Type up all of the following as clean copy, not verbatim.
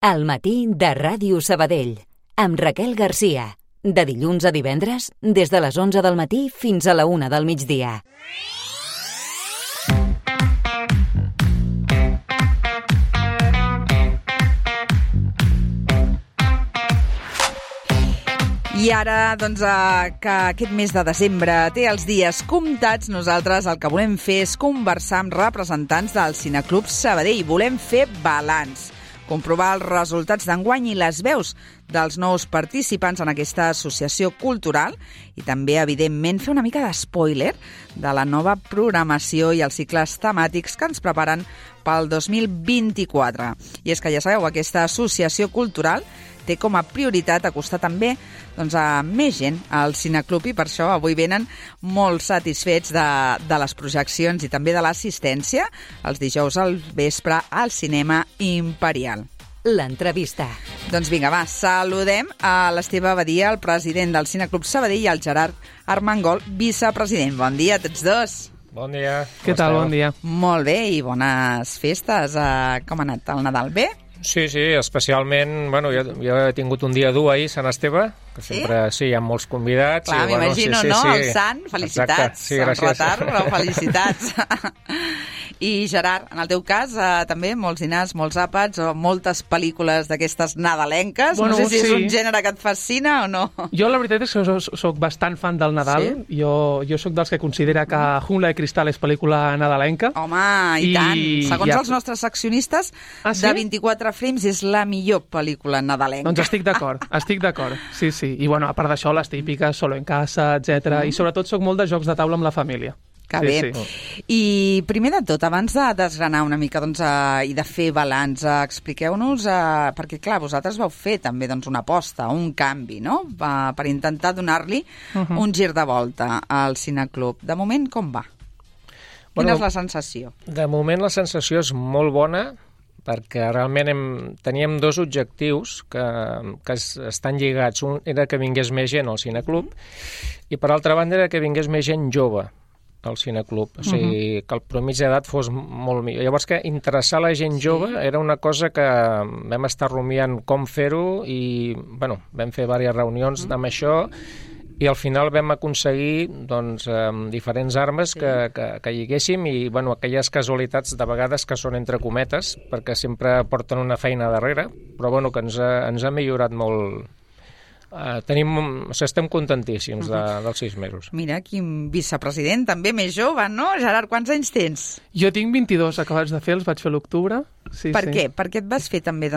Al matí de Ràdio Sabadell, amb Raquel Garcia. De dilluns a divendres, des de les 11 del matí fins a la 1 del migdia. I ara, doncs, que aquest mes de desembre té els dies comptats, nosaltres el que volem fer és conversar amb representants del Cineclub Sabadell. Volem fer balanç, comprovar els resultats d'enguany i les veus dels nous participants en aquesta associació cultural i també, evidentment, fer una mica d'espoiler de la nova programació i els cicles temàtics que ens preparen pel 2024. I és que, ja sabeu, aquesta associació cultural té com a prioritat acostar també a més gent al Cineclub i per això avui venen molt satisfets de les projeccions i també de l'assistència els dijous al vespre al Cinema Imperial. L'entrevista. Doncs vinga, va, saludem a l'Esteve Badia, el president del Cineclub Sabadell, i al Gerard Armengol, vicepresident. Bon dia a tots dos. Bon dia. Què tal? Bon dia. Molt bé, i bones festes. Com ha anat el Nadal? Bé? Sí, especialment, jo he tingut un dia dur ahir, Sant Esteve, que sempre hi ha molts convidats. Clar, m'imagino, sí. El Sant, felicitats. Exacte, sí, gràcies. En retard, però felicitats. I Gerard, en el teu cas, també molts dinars, molts àpats o moltes pel·lícules d'aquestes nadalenques. No sé si és un gènere que et fascina o no. Jo la veritat és que soc bastant fan del Nadal. Sí? Jo soc dels que considera que Jungla de Cristal és pel·lícula nadalenca. Home, i tant. Segons els nostres accionistes, de 24 frames és la millor pel·lícula nadalenca. Doncs estic d'acord. Sí. I a part d'això, les típiques, Solo en casa, etc. I sobretot soc molt de jocs de taula amb la família. Que bé. Sí. I primer de tot, abans de desgranar una mica i de fer balanç, expliqueu-nos, perquè clar, vosaltres vau fer també una aposta, un canvi, no? Per intentar donar-li un gir de volta al Cineclub. De moment, com va? Quina és la sensació? De moment la sensació és molt bona, perquè realment teníem dos objectius que estan lligats. Un era que vingués més gent al Cineclub i, per altra banda, era que vingués més gent jove al Cineclub. O sigui, que el promís d'edat fos molt millor. Llavors, que interessar la gent jove era una cosa que vam estar rumiant com fer-ho i, vam fer diverses reunions amb això i al final vam aconseguir diferents armes que lliguéssim i aquelles casualitats de vegades que són entre cometes perquè sempre porten una feina darrere, però que ens ha millorat molt. Estem contentíssims dels 6 mesos. Mira, quin vicepresident, també més jove, no? Gerard, quants anys tens? Jo tinc 22 acabats de fer, els vaig fer a l'octubre. Sí, per què? Per què et vas fer també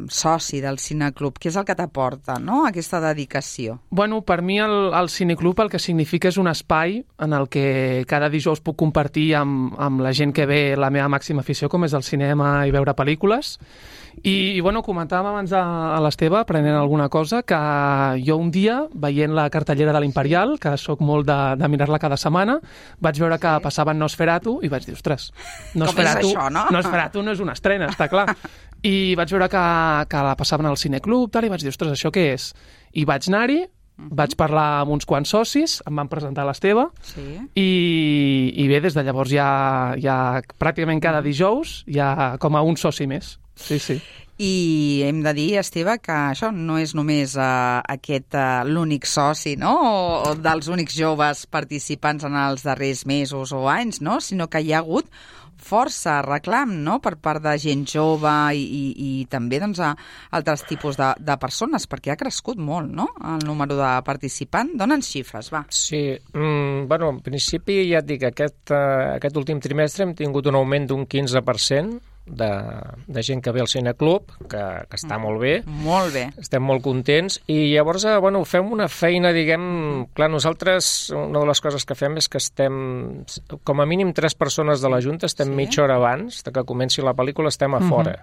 soci del Cineclub? Què és el que t'aporta, no?, aquesta dedicació? Per mi el Cineclub el que significa és un espai en el que cada dijous puc compartir amb la gent que ve la meva màxima afició, com és el cinema i veure pel·lícules. I comentàvem abans a l'Esteve, aprenent alguna cosa, que jo un dia, veient la cartellera de l'Imperial, que sóc molt de mirar-la cada setmana, vaig veure que passaven Nosferatu i vaig dir, ostres, Nosferatu, com és això, no? Nosferatu no és una estrena, està clar. I vaig veure que la passaven al Cineclub, i vaig dir, ostres, això què és? I vaig anar-hi, vaig parlar amb uns quants socis, em van presentar l'Esteve, i bé, des de llavors ja pràcticament cada dijous hi ha com a un soci més. Sí. I hem de dir, Esteve, que això no és només l'únic soci, no?, o dels únics joves participants en els darrers mesos o anys, no?, sinó que hi ha hagut força reclam, no?, per part de gent jove i també altres tipus de persones, perquè ha crescut molt, no?, el número de participants. Dóna'ns xifres, va. Sí, en principi ja et dic, aquest últim trimestre hem tingut un augment d'un 15% de gent que ve al Cineclub, que està molt bé. Molt bé. Estem molt contents i llavors, fem una feina, clar, nosaltres una de les coses que fem és que estem, com a mínim 3 persones de la Junta, estem mitja hora abans de que comenci la pel·lícula, estem a fora.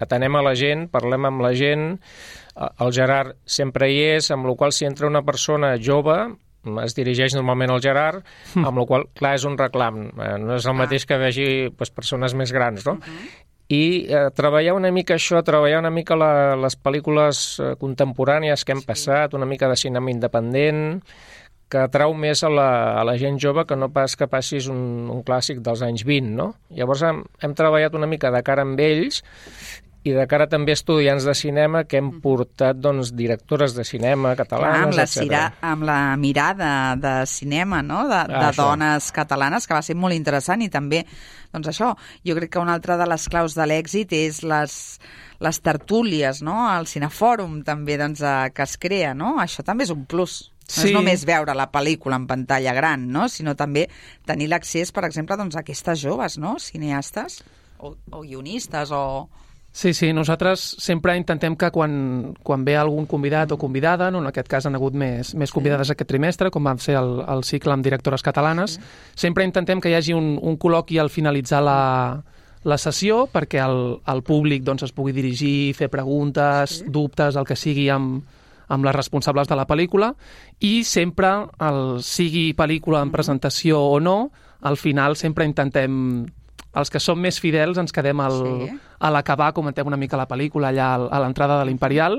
Atenem a la gent, parlem amb la gent, el Gerard sempre hi és, amb la qual si entra una persona jove es dirigeix normalment al Gerard, amb la qual clar, és un reclam. No és el mateix que vegi persones més grans, no? I treballar una mica això, treballar una mica les pel·lícules contemporànies que hem passat, una mica de cinema independent, que atrau més a la gent jove que no pas que passis un clàssic dels anys 20, no? Llavors hem treballat una mica de cara amb ells i de cara també a estudiants de cinema que hem portat doncs, directores de cinema catalanes, etc. Amb la mirada de cinema, no? de dones catalanes, que va ser molt interessant, i també, doncs això, jo crec que una altra de les claus de l'èxit és les tertúlies, no? El cinefòrum també doncs, que es crea, no? Això també és un plus. No és només veure la pel·lícula en pantalla gran, no? Sinó també tenir l'accés, per exemple, doncs, a aquestes joves, no? Cineastes o guionistes o... Sí, nosaltres sempre intentem que quan ve algun convidat o convidada, no, en aquest cas han hagut més convidades aquest trimestre, com vam ser el cicle amb directores catalanes, sempre intentem que hi hagi un col·loqui al finalitzar la sessió perquè el públic doncs, es pugui dirigir, fer preguntes, dubtes, el que sigui amb les responsables de la pel·lícula, i sempre, sigui pel·lícula en presentació o no, al final sempre intentem... Els que som més fidels ens quedem a l'acabar, comentem una mica la pel·lícula allà a l'entrada de l'Imperial,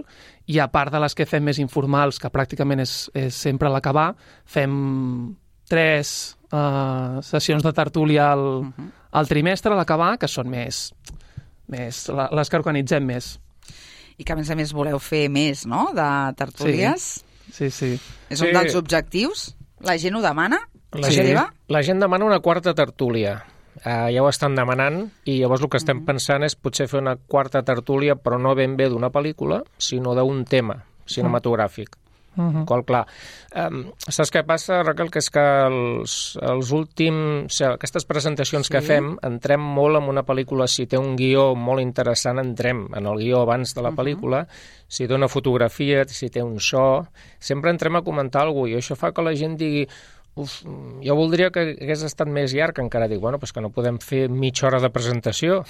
i a part de les que fem més informals, que pràcticament és sempre a l'acabar, fem 3 sessions de tertúlia al trimestre a l'acabar, que són més les que organitzem més. I que, a més voleu fer més, no?, de tertúlies. Sí. És un dels objectius? La gent ho demana? La gent demana una quarta tertúlia. Ja ho estan demanant, i llavors el que estem pensant és potser fer una quarta tertúlia, però no ben bé d'una pel·lícula, sinó d'un tema cinematogràfic. Qual, clar, saps què passa, Raquel? Que és que els últims... aquestes presentacions que fem, entrem molt en una pel·lícula. Si té un guió molt interessant, entrem en el guió abans de la pel·lícula. Si té una fotografia, si té un so... Sempre entrem a comentar alguna cosa, i això fa que la gent digui... jo voldria que hagués estat més llarg, encara dic, bueno, que no podem fer mitja hora de presentació.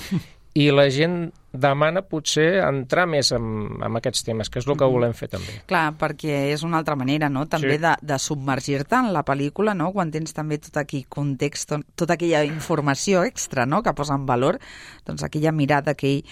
I la gent demana potser entrar més en aquests temes, que és el que volem fer també. Clar, perquè és una altra manera, no?, també de submergir-te en la pel·lícula, no?, quan tens també tot aquell context, tota aquella informació extra, no?, que posa en valor, doncs aquella mirada, aquell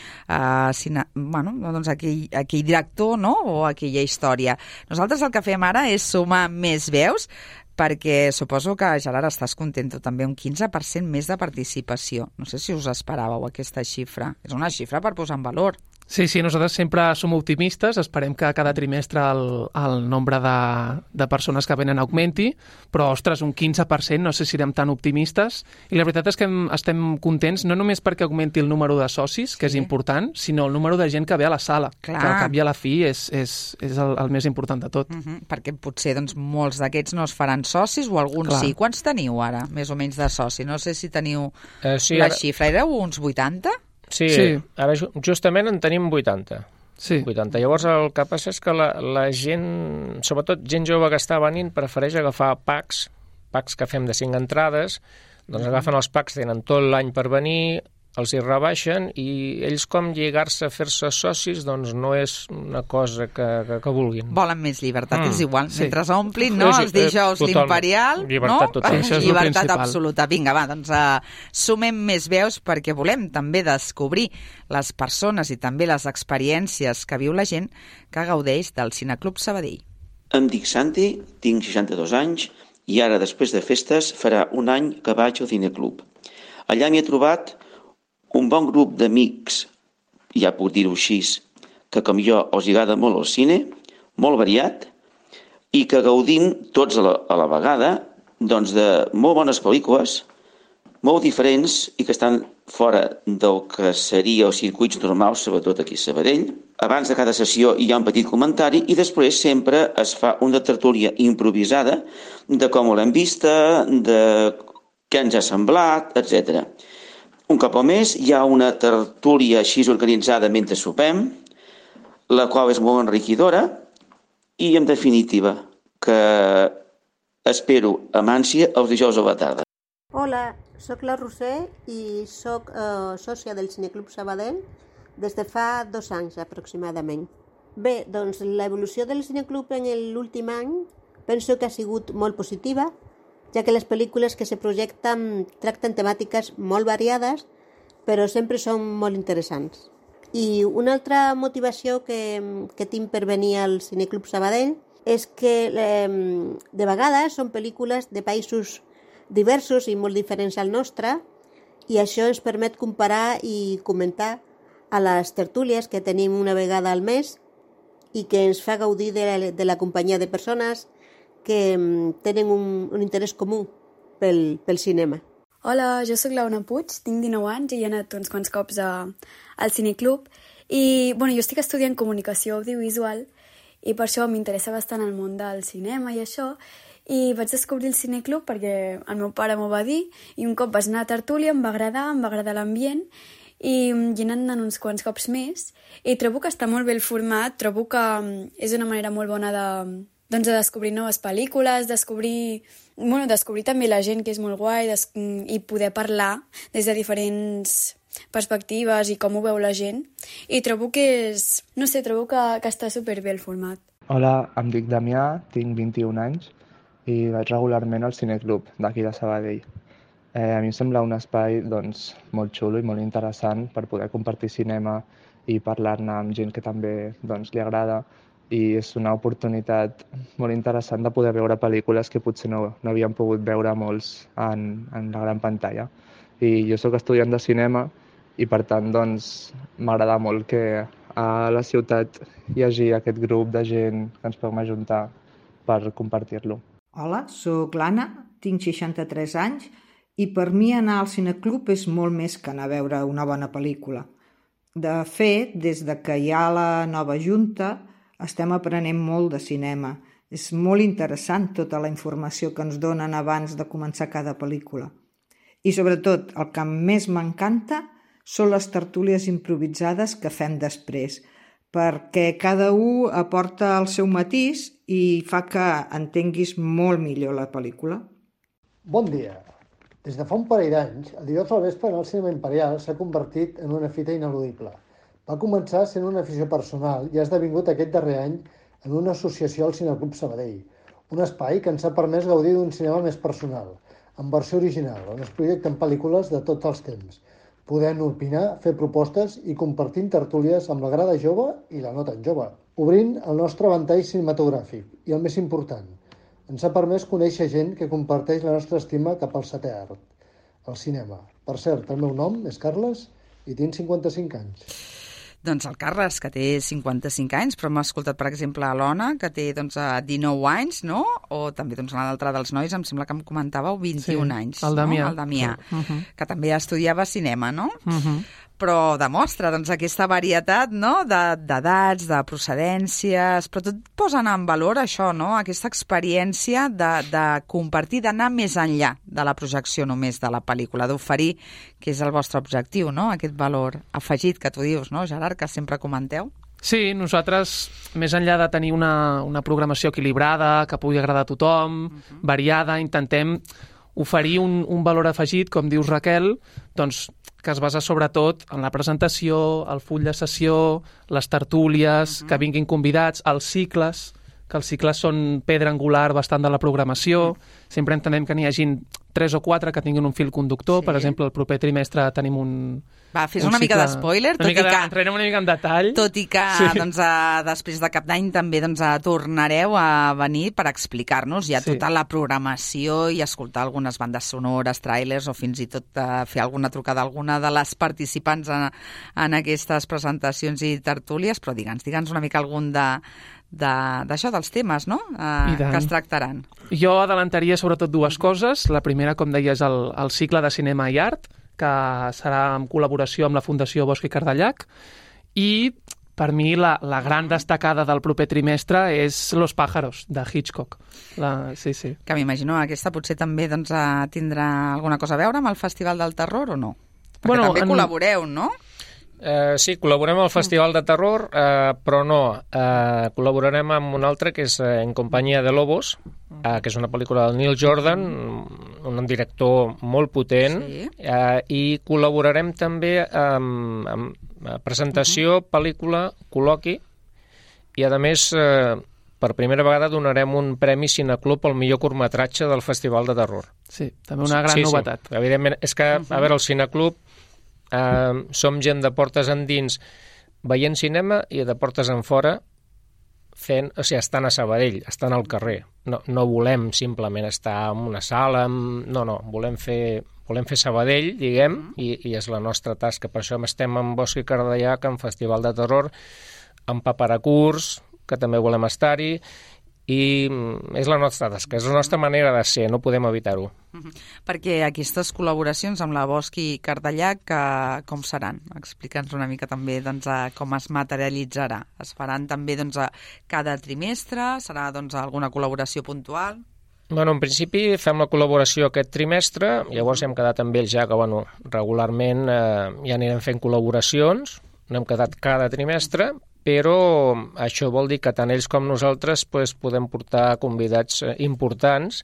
director, no?, o aquella història. Nosaltres el que fem ara és sumar més veus, perquè suposo que, Gerard, estàs content, també un 15% més de participació. No sé si us esperàveu aquesta xifra. És una xifra per posar en valor. Sí, nosaltres sempre som optimistes, esperem que cada trimestre el nombre de persones que venen augmenti, però, ostres, un 15%, no sé si serem tan optimistes, i la veritat és que estem contents no només perquè augmenti el número de socis, que és important, sinó el número de gent que ve a la sala, que al cap i a la fi és el més important de tot. Perquè potser doncs, molts d'aquests no es faran socis, o alguns sí. Quants teniu ara, més o menys, de soci? No sé si teniu la xifra. Éreu uns 80? Sí, ara justament en tenim 80. Sí. 80. Llavors el que passa és que la gent, sobretot gent jove que està venint, prefereix agafar packs que fem de 5 entrades, doncs agafen els packs, tenen tot l'any per venir, els hi rebaixen, i ells com lligar-se a fer-se socis doncs no és una cosa que vulguin. Volen més llibertat, és igual. Mentre s'omplin, no? Els dijous l'Imperial, llibertat total. Llibertat absoluta. Vinga, va, doncs sumem més veus perquè volem també descobrir les persones i també les experiències que viu la gent que gaudeix del Cineclub Sabadell. Em dic Santi, tinc 62 anys i ara, després de festes, farà un any que vaig al Cineclub. Allà m'hi he trobat un bon grup d'amics, ja puc dir-ho així, que com jo els agrada molt el cine, molt variat, i que gaudim tots a la vegada doncs, de molt bones pel·lícules, molt diferents i que estan fora del que seria els circuits normals, sobretot aquí a Sabadell. Abans de cada sessió hi ha un petit comentari i després sempre es fa una tertúlia improvisada de com l'hem vista, de què ens ha semblat, etc. Un cop al mes hi ha una tertúlia així organitzada mentre sopem, la qual és molt enriquidora i, en definitiva, que espero amb ànsia els dijous a la tarda. Hola, sóc la Roser i sóc sòcia del Cineclub Sabadell des de fa 2 anys aproximadament. Bé, doncs l'evolució del Cineclub en l'últim any penso que ha sigut molt positiva, ja que les pel·lícules que se projecten tracten temàtiques molt variades, però sempre són molt interessants. I una altra motivació que tinc per venir al Cineclub Sabadell és que de vegades són pel·lícules de països diversos i molt diferents al nostre, i això ens permet comparar i comentar a les tertúlies que tenim una vegada al mes i que ens fa gaudir de la companyia de persones que tenen un interès comú pel cinema. Hola, jo sóc l'Auna Puig, tinc 19 anys i he anat uns quants cops al cineclub i jo estic estudiant comunicació audiovisual i per això m'interessa bastant el món del cinema i això, i vaig descobrir el cineclub perquè el meu pare m'ho va dir i un cop vaig anar a tertúlia, em va agradar l'ambient i he anat uns quants cops més i trobo que està molt bé el format, trobo que és una manera molt bona de descobrir noves pel·lícules, descobrir també la gent, que és molt guai, i poder parlar des de diferents perspectives i com ho veu la gent. I trobo que trobo que està superbé el format. Hola, em dic Damià, tinc 21 anys i vaig regularment al cineclub d'aquí de Sabadell. A mi em sembla un espai molt xulo i molt interessant per poder compartir cinema i parlar-ne amb gent que també li agrada, i és una oportunitat molt interessant de poder veure pel·lícules que potser no havíem pogut veure molts en la gran pantalla. I jo sóc estudiant de cinema i per tant m'agrada molt que a la ciutat hi hagi aquest grup de gent que ens podem ajuntar per compartir-lo. Hola, sóc l'Anna, tinc 63 anys i per mi anar al cineclub és molt més que anar a veure una bona pel·lícula. De fet, des que hi ha la nova junta, estem aprenent molt de cinema. És molt interessant tota la informació que ens donen abans de començar cada pel·lícula. I sobretot, el que més m'encanta són les tertúlies improvisades que fem després, perquè cada un aporta el seu matís i fa que entenguis molt millor la pel·lícula. Bon dia. Des de fa un parell d'anys, el dijous al vespre en el cinema imperial s'ha convertit en una fita ineludible. Va començar sent una afició personal i ha esdevingut aquest darrer any en una associació al Cineclub Sabadell, un espai que ens ha permès gaudir d'un cinema més personal, en versió original, on es projecten pel·lícules de tots els temps, podent opinar, fer propostes i compartint tertúlies amb la grada jove i la no tan jove, obrint el nostre ventall cinematogràfic i, el més important, ens ha permès conèixer gent que comparteix la nostra estima cap al setè art, el cinema. Per cert, el meu nom és Carles i tinc 55 anys. Doncs el Carles, que té 55 anys, però m'ha escoltat, per exemple, l'Ona, que té 19 anys, no? O també l'altre dels nois, em sembla que em comentàveu 21 anys. El Damià. No? El Damià, que també estudiava cinema, no? Però demostra aquesta varietat, no? d'edats, de procedències, però tot posen en valor això, no? Aquesta experiència de compartir, d'anar més enllà de la projecció només de la pel·lícula, d'oferir, que és el vostre objectiu, no? Aquest valor afegit que tu dius, no, Gerard, que sempre comenteu. Sí, nosaltres, més enllà de tenir una programació equilibrada, que pugui agradar a tothom, variada, intentem oferir un valor afegit, com dius, Raquel, que es basa sobretot en la presentació, el full de sessió, les tertúlies, que vinguin convidats, els cicles, que els cicles són pedra angular bastant de la programació. Sempre entenem que n'hi hagin 3 o 4 que tinguin un fil conductor. Per exemple, el proper trimestre tenim un... Va, fes una mica d'espoiler, entrenem una mica en detall. Tot i que després de cap d'any també tornareu a venir per explicar-nos ja tota la programació i escoltar algunes bandes sonores, tràilers o fins i tot fer alguna trucada a alguna de les participants en aquestes presentacions i tertúlies, però digue'ns una mica algun d'això, dels temes, no? Que es tractaran. Jo adelantaria sobretot 2 coses. La primera, com deies, el cicle de cinema i art, que serà en col·laboració amb la Fundació Bosch i Cardellac, i per mi la gran destacada del proper trimestre és Los pájaros, de Hitchcock. Que m'imagino aquesta potser també tindrà alguna cosa a veure amb el Festival del Terror o no? Perquè també col·laboreu, no? Sí, col·laborem al Festival de Terror, però no. Col·laborarem amb un altre que és En companyia de lobos, que és una pel·lícula del Neil Jordan, un director molt potent, i col·laborarem també amb presentació, pel·lícula, col·loqui, i a més per primera vegada donarem un premi Cineclub al millor curtmetratge del Festival de Terror. Sí, també una gran novetat. Sí, evidentment, és que, a veure, el Cineclub som gent de portes endins veient cinema i de portes enfora estan a Sabadell, estan al carrer. No volem simplement estar en una sala, no, volem fer volem fer Sabadell, diguem, i és la nostra tasca. Per això estem en Bosc i Cardellac, en Festival de Terror, en Paparacurs, que també volem estar-hi, i és la nostra tasca, és la nostra manera de ser, no podem evitar-ho. Perquè aquestes col·laboracions amb la Bosc i Cardellac, com seran? Explica'ns una mica també com es materialitzarà. Es faran també cada trimestre? Serà alguna col·laboració puntual? Bueno, en principi fem la col·laboració aquest trimestre, llavors hem quedat amb ells ja que regularment ja anirem fent col·laboracions, no hem quedat cada trimestre, però això vol dir que tant ells com nosaltres podem portar convidats importants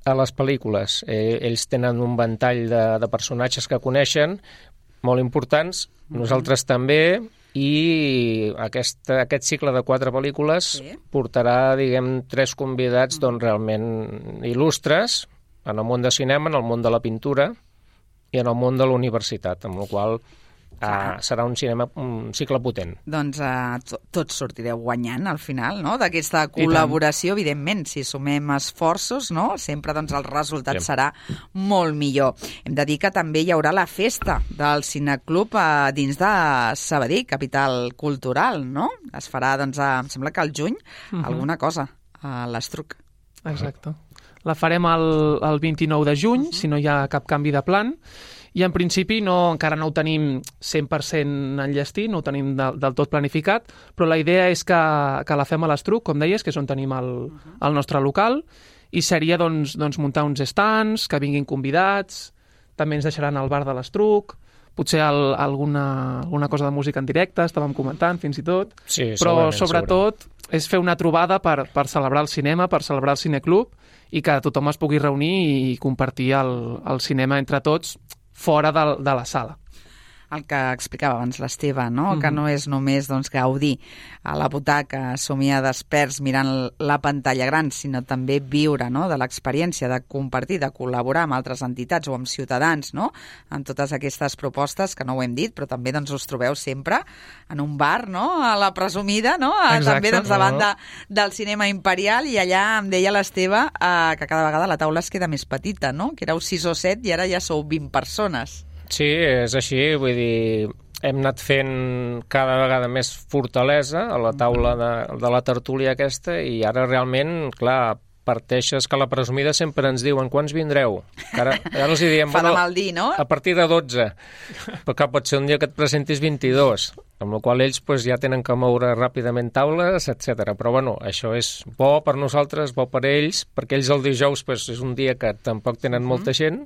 a les pel·lícules. Ells tenen un ventall de personatges que coneixen, molt importants, nosaltres també, i aquest cicle de 4 pel·lícules portarà, diguem, 3 convidats realment il·lustres en el món de cinema, en el món de la pintura i en el món de la universitat, amb la qual serà un cicle potent. Doncs tots sortireu guanyant al final, no?, d'aquesta col·laboració, evidentment, si sumem esforços, no?, sempre el resultat serà molt millor. Hem de dir que també hi haurà la festa del Cineclub dins de Sabadell, capital cultural, no? Es farà, em sembla que al juny, alguna cosa, a l'Estruc. Exacte. La farem el 29 de juny, si no hi ha cap canvi de plan, i en principi encara no ho tenim 100% enllestit, no ho tenim del tot planificat, però la idea és que la fem a l'Estruc, com deies, que és on tenim el nostre local, i seria muntar uns stands, que vinguin convidats, també ens deixaran al bar de l'Estruc, potser alguna cosa de música en directe, estàvem comentant fins i tot, però sobretot és fer una trobada per celebrar el cinema, per celebrar el cineclub, i que tothom es pugui reunir i compartir el cinema entre tots fora de la sala. El que explicava abans l'Esteve, no? Que no és només gaudir a la butaca, somiar desperts mirant la pantalla gran, sinó també viure, no?, de l'experiència, de compartir, de col·laborar amb altres entitats o amb ciutadans, no?, en totes aquestes propostes, que no ho hem dit, però també us trobeu sempre en un bar, no?, a la presumida, no?, també davant del cinema imperial, i allà em deia l'Esteve que cada vegada la taula es queda més petita, no?, que éreu 6 o 7 i ara ja sou 20 persones. Sí, és així, vull dir, hem anat fent cada vegada més fortalesa a la taula de la tertúlia aquesta, i ara realment, clar, parteixes que a la presumida sempre ens diuen quants vindreu. Ara els diem, fa de mal dir, no? A partir de 12, però pot ser un dia que et presentis 22, amb la qual ells ja tenen que moure ràpidament taules, etc. Però això és bo per nosaltres, bo per ells, perquè ells el dijous és un dia que tampoc tenen molta gent,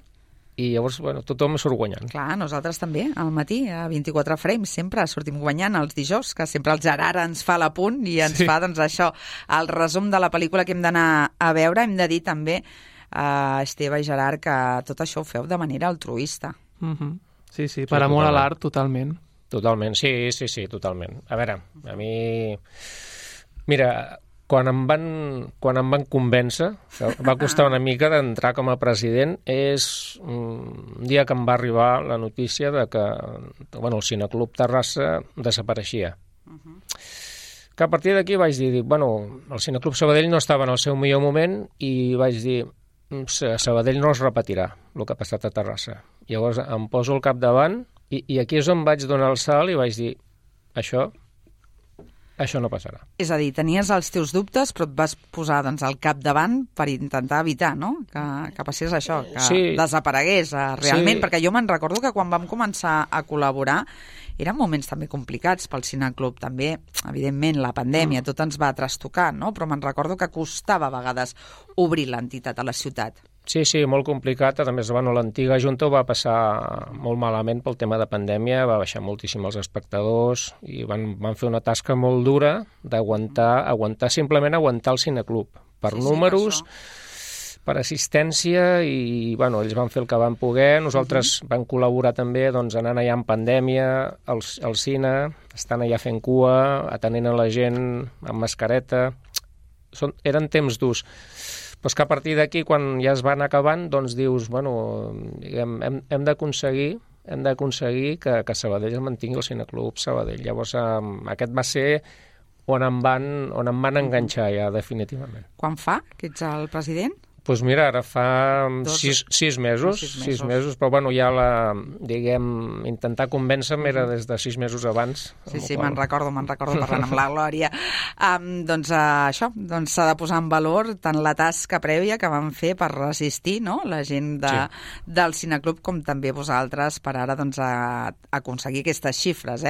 i llavors tothom surt guanyant. Clar, nosaltres també, al matí, a 24 frames, sempre sortim guanyant els dijous, que sempre el Gerard ens fa l'apunt i ens fa, això, el resum de la pel·lícula que hem d'anar a veure. Hem de dir també, Esteve i Gerard, que tot això ho feu de manera altruista. Sí, per amor a l'art, totalment. Totalment, sí, totalment. A veure, a mi... Mira, quan em van convèncer, que va costar una mica d'entrar com a president, és un dia que em va arribar la notícia de que el Cineclub Terrassa desapareixia. Que a partir d'aquí vaig dir, el Cineclub Sabadell no estava en el seu millor moment, i vaig dir, a Sabadell no es repetirà el que ha passat a Terrassa. Llavors em poso al capdavant, i aquí és on vaig donar el salt i vaig dir, això no passarà. És a dir, tenies els teus dubtes, però et vas posar al capdavant per intentar evitar, no?, que passés això, que desaparegués realment, perquè jo me'n recordo que quan vam començar a col·laborar eren moments també complicats pel Cineclub, també, evidentment, la pandèmia, tot ens va trastocar, no?, però me'n recordo que costava a vegades obrir l'entitat a la ciutat. Sí, molt complicat. A més, l'antiga Junta ho va passar molt malament pel tema de pandèmia, va baixar moltíssim els espectadors i van fer una tasca molt dura simplement aguantar el Cineclub. Per números, per assistència, i ells van fer el que van poder. Nosaltres vam col·laborar també anant allà en pandèmia al cine, estant allà fent cua, atenent a la gent amb mascareta. Eren temps durs. Però és que a partir d'aquí, quan ja es van acabant, dius, hem d'aconseguir que Sabadell es mantingui el Cineclub Sabadell. Llavors, aquest va ser on em van enganxar ja, definitivament. Quan fa que ets el president? Doncs mira, ara fa 6 mesos, però bueno, ja intentar convèncer-me era des de 6 mesos abans. Sí, me'n recordo parlant amb la Glòria. Doncs això, s'ha de posar en valor tant la tasca prèvia que van fer per resistir, no?, la gent del Cineclub, com també vosaltres per ara aconseguir aquestes xifres,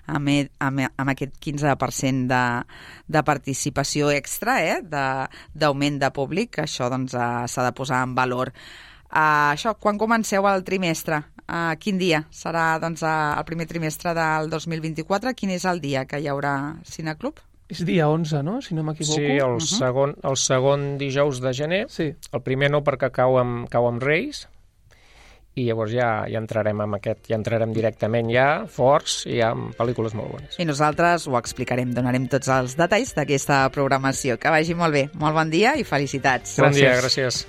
amb aquest 15% de participació extra, d'augment de públic, això s'ha de posar en valor. Això, quan comenceu el trimestre? Quin dia serà el primer trimestre del 2024? Quin és el dia que hi haurà Cineclub? És dia 11, no?, si no m'equivoco. Sí, el segon dijous de gener. Sí. El primer no, perquè cau amb Reis, i llavors ja entrarem amb aquest, ja entrarem directament forts i amb pel·lícules molt bones. I nosaltres ho explicarem, donarem tots els detalls d'aquesta programació. Que vagi molt bé. Molt bon dia i felicitats. Bon dia, gràcies.